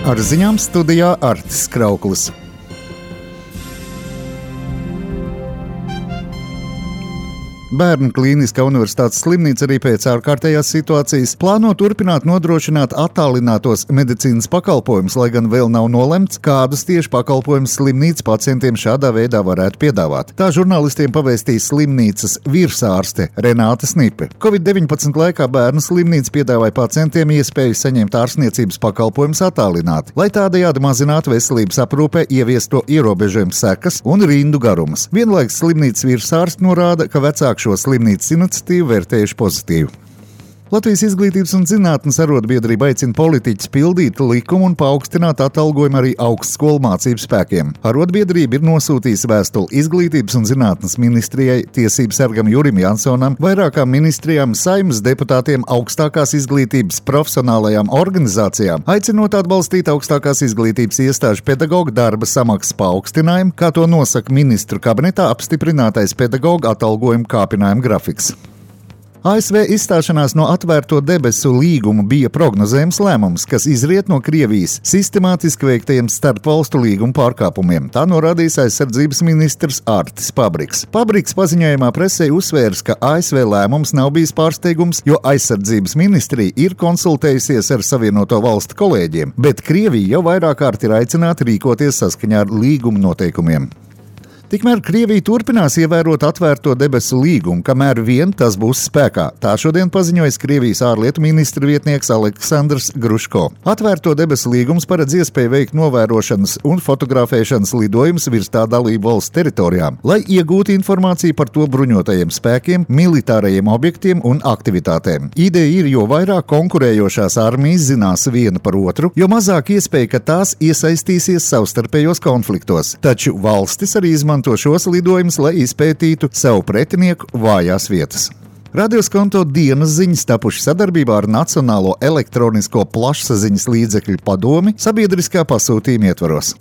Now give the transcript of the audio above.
Ar ziņām studijā Artis Krauklis. Bērnu klīniskā universitātes slimnīca arī pēc ārkārtējās situācijas plāno turpināt nodrošināt attālinātos medicīnas pakalpojumus, lai gan vēl nav nolemts, kādus tieši pakalpojumus slimnīca pacientiem šādā veidā varētu piedāvāt. Tā žurnālistiem pavēstīja slimnīcas virsārste Renāte Snipe. Covid-19 laikā bērnu slimnīca piedāvāja pacientiem iespēju saņemt ārstniecības pakalpojumus attālināti, lai tādējādi mazinātu veselības aprūpē ieviesto ierobežojumu sekas un rindu garumus. Vienlaikus slimnīcas virsārste norāda, ka vecāki šo slimnīcas iniciatīvu vērtējuši pozitīvi. Latvijas Izglītības un zinātnes arotbiedrība aicina politiķus pildīt likumu un paaugstināt atalgojumu arī augstskolu mācību spēkiem. Arotbiedrība ir nosūtījusi vēstuli Izglītības un zinātnes ministrijai, tiesību sargam Jurim Jansonam, vairākām ministrijām, Saeimas deputātiem, augstākās izglītības profesionālajām organizācijām, aicinot atbalstīt augstākās izglītības iestāžu pedagoģu darba samaksas paaugstinājumu, kā to nosaka ministru kabinetā apstiprinātais pedagoģu atalgojuma kāpinājuma grafiks. ASV izstāšanās no atvērto debesu līgumu bija prognozējams lēmums, kas izriet no Krievijas sistemātiski veiktajiem starpvalstu līgumu pārkāpumiem. Tā norādījis aizsardzības ministrs Artis Pabriks. Pabriks paziņojumā presē uzsvērs, ka ASV lēmums nav bijis pārsteigums, jo aizsardzības ministrija ir konsultējusies ar Savienoto valstu kolēģiem, bet Krievija jau vairāk kārt ir aicināta rīkoties saskaņā ar līguma noteikumiem. Tikmēr Krievija turpinās ievērot atvērto debesu līgumu, kamēr vien tas būs spēkā. Tā šodien paziņojas Krievijas ārlietu ministra vietnieks Aleksandrs Gruško. Atvērto debesu līgums paredz iespēju veikt novērošanas un fotografēšanas lidojumus virs tā dalību valsts teritorijām, lai iegūtu informāciju par to bruņotajiem spēkiem, militārajiem objektiem un aktivitātēm. Ideja ir, jo vairāk konkurējošās armijas zinās viena par otru, jo mazāk iespēja, ka tās iesaistīsies savstarpējos konfliktos. Taču valstis arī izmanto šos lidojumus, lai izpētītu savu pretinieku vājās vietas. Radioskonto dienas ziņas tapuši sadarbībā ar Nacionālo elektronisko plašsaziņas līdzekļu padomi sabiedriskā pasūtījuma ietvaros.